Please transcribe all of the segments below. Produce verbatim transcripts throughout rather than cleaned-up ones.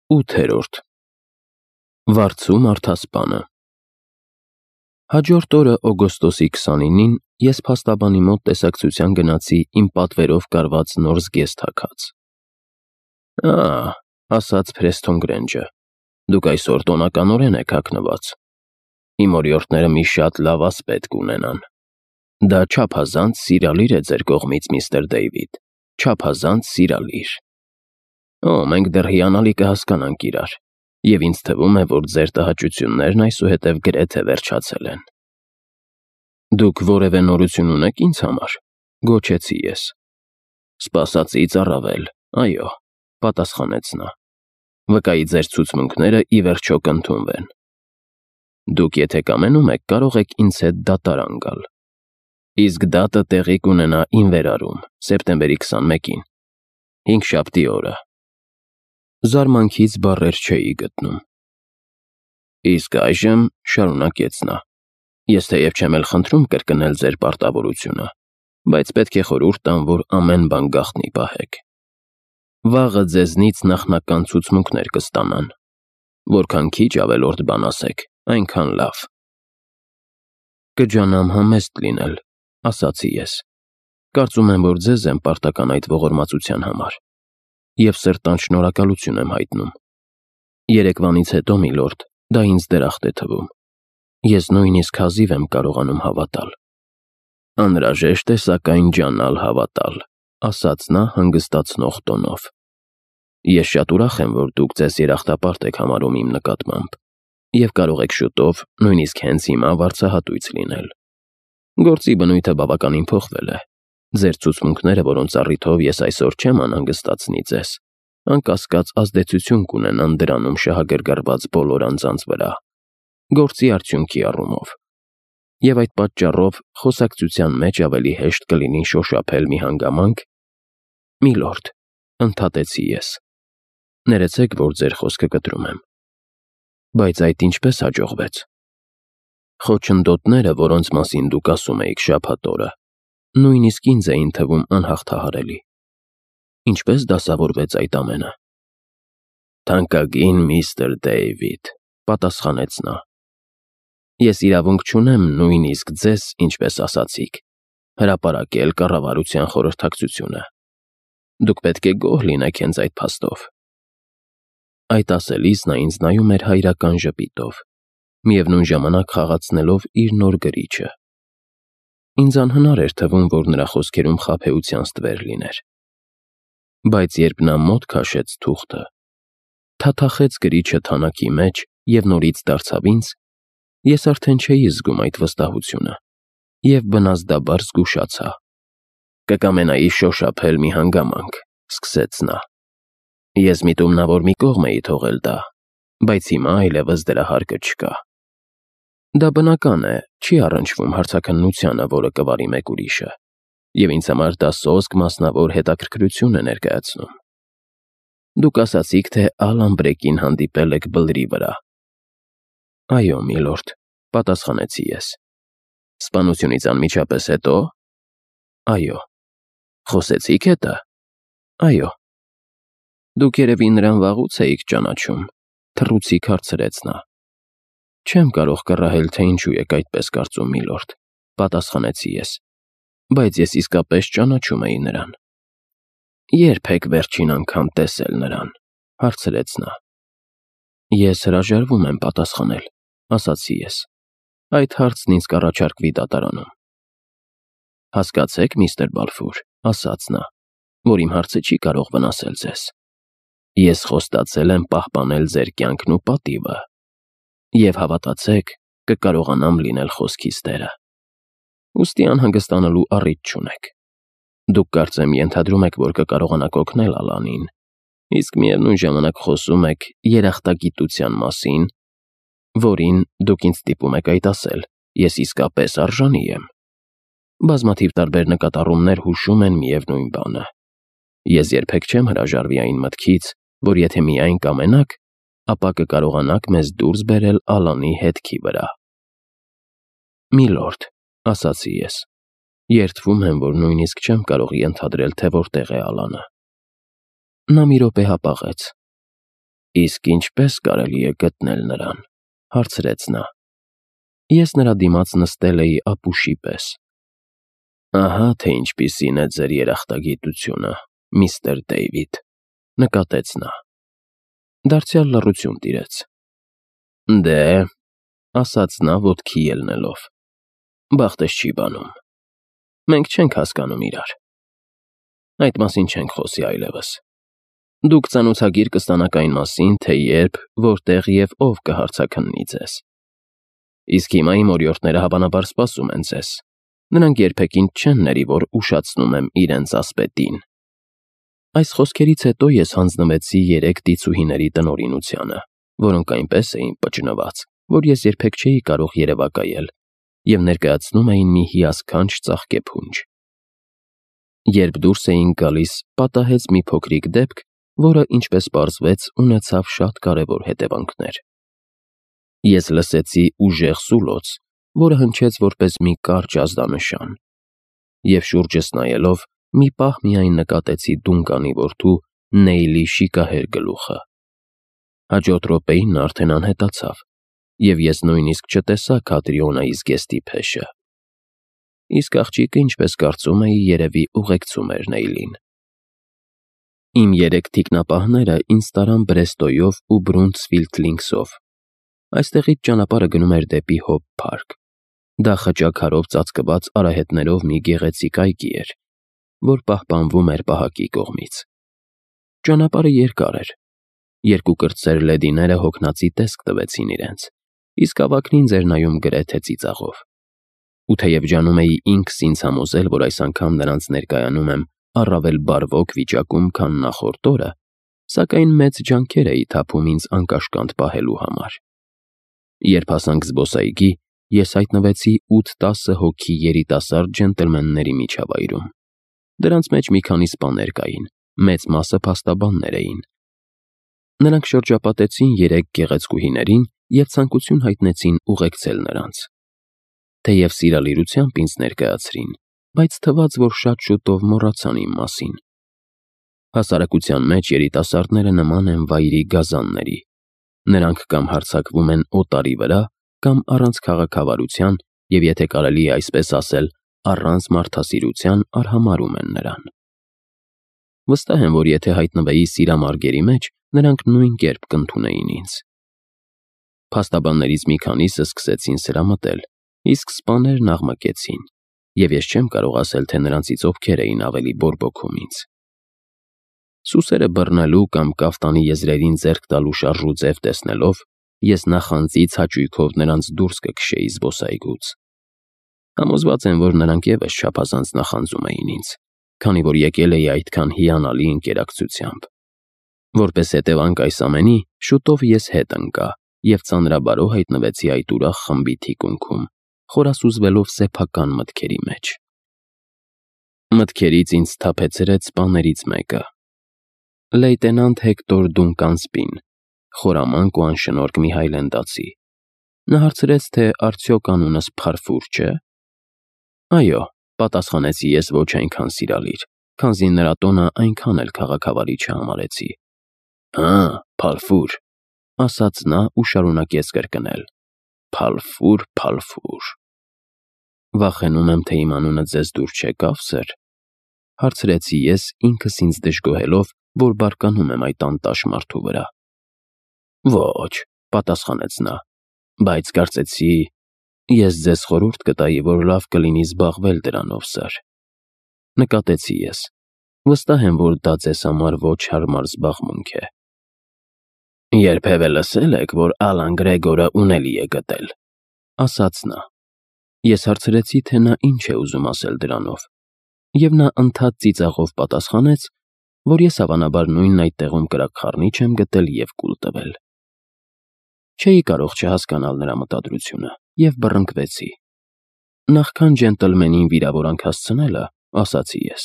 ութերորդ Վարձու մարդասպանը Հաջորդ օրը օգոստոսի քսանինին ես փաստաբանի մոտ տեսակցության գնացի իմ պատվերով կարված նոր զգեստ հագած։ Ա, ասաց Փրեսթոն Գրենջը, դուք այսօր տոնականորեն եք հագնված։ Իմ օրիորդները մի շատ լավ ասպետ կունենան։ Դա չափազանց սիրալիր է ձեր կողմից, միստր Դեյվիդ, չափազանց սիրալիր։ Օ, մենք դեռ հիանալի կհասկանանք իրար, և ինձ թվում է, որ ձեր տհաճություններն այսուհետև գրեթե վերջացել են։ Դուք որևէ նորություն ունեք ինձ համար, գոչեցի ես։ Սպասածից առավել, այո, պատասխանեց նա։ Վկայի ձեր ցուցմունքները ի վերջո կընդունվեն։ Դուք եթե կամենում եք, կարող եք ինձ հետ դատարան գալ։ Իսկ դատը տեղի կունենա իմ վերարում, սեպտեմբերի քսանմեկին, հինգշաբթի օրը։ Զարմանքից բառեր չէի գտնում։ Իսկ այժմ, շարունակեց նա, ես թեև չեմ էլ խնդրում կրկնել ձեր պարտավորությունը, բայց պետք է խորհուրդ տամ, որ ամեն բան գաղտնի պահեք։ Վաղը ձեզնից նախնական ցուցմունքներ կստանան, որքան քիչ ավելորդ բան ասեք, այնքան լավ։ Կջանամ համեստ լինել, ասացի ես։ Կարծում եմ, որ ձեզ եմ պարտական այդ ողորմածության համար, և սրտան շնորհակալություն եմ հայտնում։ Երեկվանից հետո, միլորդ, դա ինձ դրախտ է թվում։ Ես նույնիսկ հազիվ եմ կարողանում հավատալ։ Անհրաժեշտ է սակայն ջանալ հավատալ, ասաց նա հանգստացնող տոնով։ Ես շատ ուրախ եմ, որ դուք ձեզ երախտապարտ եք համարում իմ նկատմամբ, և կարող եք շուտով, նույնիսկ հենց հիմա վարձահատույց լինել։ Գործի բնույթը բավականին փոխվել է։ Ձեր ցուցմունքները, որոնց առիթով ես այսօր չեմ անհանգստացնի ձեզ, անկասկած ազդեցություն կունենան դրանում շահագրգռված բոլոր անձանց վրա, գործի արդյունքի առումով։ Եվ այդ պատճառով խոսակցության մեջ ավելի հեշտ կլինի շոշափել մի հանգամանք։ Միլորդ, ընդհատեցի ես, ներեցեք, որ ձեր խոսքը կտրում եմ։ Բայց այդ ինչպես հաջողվեց։ Խոչընդոտները, որոնց մասին դուք ասում էիք շաբաթ օրը, նույնիսկ ինձ էին թվում անհաղթահարելի։ Ինչպես դասավորվեց այդ ամենը։ Թանկագին միստր Դեյվիդ, պատասխանեց նա։ Ես իրավունք չունեմ նույնիսկ ձեզ, ինչպես ասացիք, հրապարակել կառավարության խորհրդակցությունը։ Դուք պետք է գոհ լինեք հենց այդ փաստով։ Այդ ասելիս նա ինձ նայում էր հայրական ժպիտով, միևնույն ժամանակ խաղացնելով իր նոր գրիչը։ Ինձ անհնար էր թվում, որ նրա խոսքերում խաբեության ստվեր լիներ։ Բայց երբ նա մոտ քաշեց թուղթը, թաթախեց գրիչը թանակի մեջ և նորից դարձավ ինձ, ես արդեն չէի զգում այդ վստահությունը և բնազդաբար զգուշացա։ Կկամենայի շոշափել մի հանգամանք, սկսեց նա։ Ես միտումնավոր մի կողմ էի թողել դա, բայց հիմա այլևս դրա հարկը չկա։ Դա բնական է, չի առնչվում հարցաքննությանը, որը կվարի մեկ ուրիշը, և ինձ համար դա սոսկ մասնավոր հետաքրքրություն է ներկայացնում։ Դուք ասացիք, թե Ալան Բրեկին հանդիպել եք բլրի վրա։ Այո, միլորդ, պատասխանեցի ես։ Սպանությունից անմիջապես հետո։ Այո։ Խոսեցիք հետը։ Այո։ Դուք երևի նրան վաղուց էիք ճանաչում, թռուցիկ հարցրեց նա։ Չեմ կարող կռահել, թե ինչու եք այդպես կարծում, միլորդ, պատասխանեցի ես, բայց ես իսկապես ճանաչում էի նրան։ Ե՞րբ եք վերջին անգամ տեսել նրան, հարցրեց նա։ Ես հրաժարվում եմ պատասխանել, ասացի ես։ Այդ հարցն ինձ կառաջարկվի դատարանում։ Հասկացեք, միստր Բալֆուր, ասաց նա, որ իմ հարցը չի կարող վնասել ձեզ։ Ես խոստացել եմ պահպանել ձեր կյանքն ու պատիվը, և հավատացեք, կկարողանամ լինել խոսքիս տերը։ Ուստի անհանգստանալու առիթ չունեք։ Դուք կարծեմ ենթադրում եք, որ կկարողանաք օգնել Ալանին, իսկ միևնույն ժամանակ խոսում եք երախտագիտության մասին, որին, դուք ինձ ստիպում եք այդ ասել, ես իսկապես արժանի եմ։ Բազմաթիվ տարբեր նկատառումներ հուշում են միևնույն բանը։ Ես երբեք չեմ հրաժարվի այն մտքից, որ եթե միայն կամենաք, ապա կկարողանաք մեզ դուրս բերել Ալանի հետքի վրա։ Միլորդ, ասացի ես, երդվում եմ, որ նույնիսկ չեմ կարող ենթադրել, թե որտեղ է Ալանը։ Նա մի րոպե հապաղեց։ Իսկ ինչպե՞ս կարելի է գտնել նրան, հարցրեց նա։ Ես նրա դիմաց նստել էի ապուշի պես։ Ահա թե ինչպիսին է ձեր երախտագիտությունը, միստր Դեյվիդ, նկատեց նա։ Դարձյալ լռություն տիրեց։ Դե, ասաց նա ոտքի ելնելով, բախտես չի բանում։ Մենք չենք հասկանում իրար։ Այդ մասին չենք խոսի այլևս։ Դուք ծանոթագիր կստանաք այն մասին, թե երբ, որտեղ և ով կհարցաքննի ձեզ։ Իսկ հիմա իմ օրիորդները հավանաբար սպասում են ձեզ։ Նրանք երբեք ինձ չեն ների, որ ուշացնում եմ իրենց ասպետին։ Այս խոսքերից հետո ես հանձնվեցի երեք դիցուհիների տնօրինությանը, որոնք այնպես էին պճնված, որ ես երբեք չէի կարող երևակայել, և ներկայացնում էին մի հիասքանչ ծաղկե փունջ։ Երբ դուրս էինք գալիս, պատահեց մի փոքրիկ դեպք, որը, ինչպես պարզվեց, ունեցավ շատ կարևոր հետևանքներ։ Ես լսեցի ուժեղ սուլոց, որը հնչեց որպես մի կարճ ազդանշան, և շուրջս նայելով, մի պահ միայն նկատեցի Դունկանի որդու Նեյլի շիկահեր գլուխը։ Հաջորդ րոպեին նա արդեն անհետացավ, և ես նույնիսկ չտեսա Քատրիոնայի զգեստի փեշը։ Իսկ աղջիկը, ինչպես կարծում էի, երևի ուղեկցում էր Նեյլին։ Իմ երեք թիկնապահները ինձ տարան Բրեստոյով ու Բրունտսֆիլդ Լինքսով։ Այստեղից ճանապարհը գնում էր դեպի Հոփ Փարք։ Դա խճաքարով ծածկված արահետներով մի գեղեցիկ այգի էր, որ պահպանվում էր պահակի կողմից։ Ճանապարհը երկար էր։ Երկու կրտսեր լեդիները հոգնածի տեսք տվեցին իրենց, իսկ ավագն ինձ էր նայում գրեթե ծիծաղով։ Ու թեև ջանում էի ինքս ինձ համոզել, որ այս անգամ նրանց ներկայանում եմ առավել բարվոք վիճակում, քան նախորդ օրը, սակայն մեծ ջանքեր էի թափում ինձ անկաշկանդ պահելու համար։ Երբ հասանք զբոսայգի, ես հայտնվեցի ութ-տասը հոգի երիտասարդ ջենտլմենների միջավայրում։ Դրանց մեջ մի քանի սպաներ կային, մեծ մասը փաստաբաններ էին։ Նրանք շրջապատեցին երեք գեղեցկուհիներին և ցանկություն հայտնեցին ուղեկցել նրանց։ Թեև սիրալիրությամբ ինձ ներկայացրին, բայց թվաց, որ շատ շուտով մոռացան իմ մասին։ Հասարակության մեջ երիտասարդները նման են վայրի գազանների։ Նրանք կամ հարձակվում են օտարի վրա, կամ առանց քաղաքավարության և, եթե կարելի է այսպես ասել, առանց մարդասիրության արհամարհում են նրան։ Վստահ եմ, որ եթե հայտնվեի սիրամարգերի մեջ, նրանք նույն կերպ կընդունեին ինձ։ Փաստաբաններից մի քանիսը սկսեցին սրամտել, իսկ սպաներն աղմկեցին, և ես չեմ կարող ասել, թե նրանցից ովքեր էին ավելի բորբոքում ինձ։ Սուսերը բռնելու կամ կաֆտանի եզրերին ձեռք տալու շարժու ձև տեսնելով, ես նախանձից հաճույքով նրանց դուրս կքշեի զբոսայգուց։ Համոզված եմ, որ նրանք ևս չափազանց նախանձում էին ինձ, քանի որ եկել էի այդքան հիանալի ընկերակցությամբ։ Որպես հետևանք այս ամենի, շուտով ես հետ ընկա և ծանրաբարո հայտնվեցի այդ ուրախ խմբի թիկունքում, խորասուզվելով սեփական մտքերի մեջ։ Մտքերից ինձ սթափեցրեց սպաներից մեկը։ Լեյտենանտ Հեկտոր Դունկան, խորամանկ ու անշնորհք մի հայլենդացի։ Նա հարցրեց, թե արդյոք անունս Փարֆուր չէ։ Այո, պատասխանեցի ես ոչ այնքան սիրալիր, քանզի նրա տոնը այնքան էլ քաղաքավարի չհամարեցի։ Հա, Փարֆուր, ասաց նա ու շարունակեց կրկնել. Փալֆուր, Փալֆուր։ Վախենում եմ, թե իմ անունը ձեզ դուր չեկավ, սըր, հարցրեցի ես, ինքս ինձ դժգոհելով, որ բարկանում եմ այդ անտաշ մարդու վրա։ Ոչ, պատասխանեց նա, բայց կարծեցի, ես ձեզ խորհուրդ կտայի, որ լավ կլինի զբաղվել դրանով, սըր։ Նկատեցի ես, վստահ եմ, որ դա ձեզ համար ոչ հարմար զբաղմունք է։ Երբևէ լսել եք, որ Ալան Գրեգորը ունելի է գտել, ասաց նա։ Ես հարցրեցի, թե նա ինչ է ուզում ասել դրանով, և նա ընդհատ ծիծաղով պատասխանեց, որ ես հավանաբար նույն այդ տեղում կրակխառնիչ եմ գտել և կուլ տվել։ Չէի կարող չհասկանալ նրա մտադրությունը և բռնկվեցի։ Նախքան ջենտլմենին վիրավորանք հասցնելը, ասացի ես,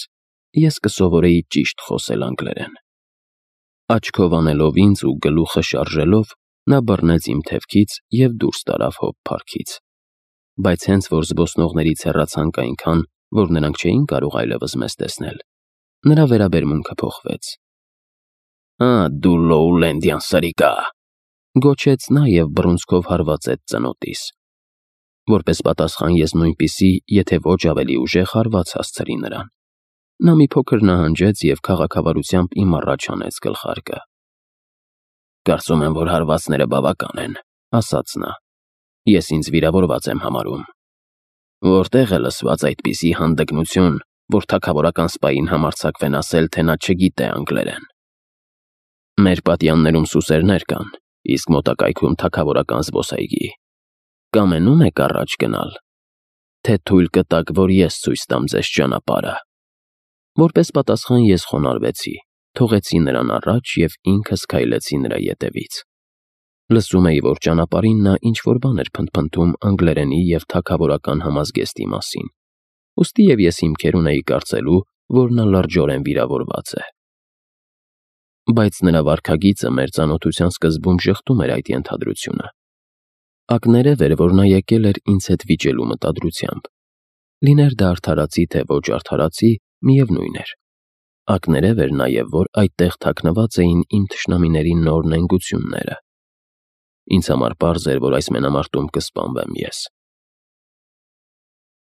ես կսովորեի ճիշտ խոսել անգլերեն։ Աչքով անելով ինձ ու գլուխը շարժելով, նա բռնեց իմ թևքից և դուրս տարավ Հոփ Փարքից։ Բայց հենց որ զբոսնողներից հեռացանք այնքան, որ նրանք չէին կարող այլևս մեզ տեսնել, նրա վերաբերմունքը փոխվեց։ Ա, դու Լոուլենդյան սրիկա, գոչեց նա և բռունցքով հարվածեց ծնոտիս։ Որպես պատասխան ես նույնպիսի, եթե ոչ ավելի ուժեղ հարված հասցրի նրան։ Նա մի փոքր նահանջեց և քաղաքավարությամբ իմ առաջ հանեց գլխարկը։ Կարծում եմ, որ հարվածները բավական են, ասաց նա։ Ես ինձ վիրավորված եմ համարում։ Որտեղ է լսված այդպիսի հանդգնություն, որ թագավորական սպային համարձակվեն ասել, թե նա չգիտե անգլերեն։ Մեր պատյաններում սուսերներ կան, իսկ մոտակայքում թագավորական զբոսայգի։ Կամենում եք առաջ գնալ, թե թույլ կտաք, որ ես ցույց տամ ձեզ ճանապարհը։ Որպես պատասխան ես խոնարհվեցի, թողեցի նրան առաջ և ինքս քայլեցի նրա ետևից։ Լսում էի, որ ճանապարհին նա ինչ-որ բան էր փնթփնթում անգլերենի և թագավորական համազգեստի մասին, ուստի և ես հիմքեր ունեի կարծելու, որ նա լրջորեն վիրավորված է։ Բայց նրա վարքագիծը մեր ծանոթության սկզբում ժխտում էր այդ ենթադրությունը։ Ակներև էր, որ նա եկել էր ինձ հետ վիճելու մտադրությամբ։ Լիներ դա արդարացի, թե ոչ արդարացի, միևնույն էր։ Ակներև էր նաև, որ այդտեղ թաքնված էին իմ թշնամիների նոր նենգությունները։ Ինձ համար պարզ էր, որ այս մենամարտում կսպանվեմ ես։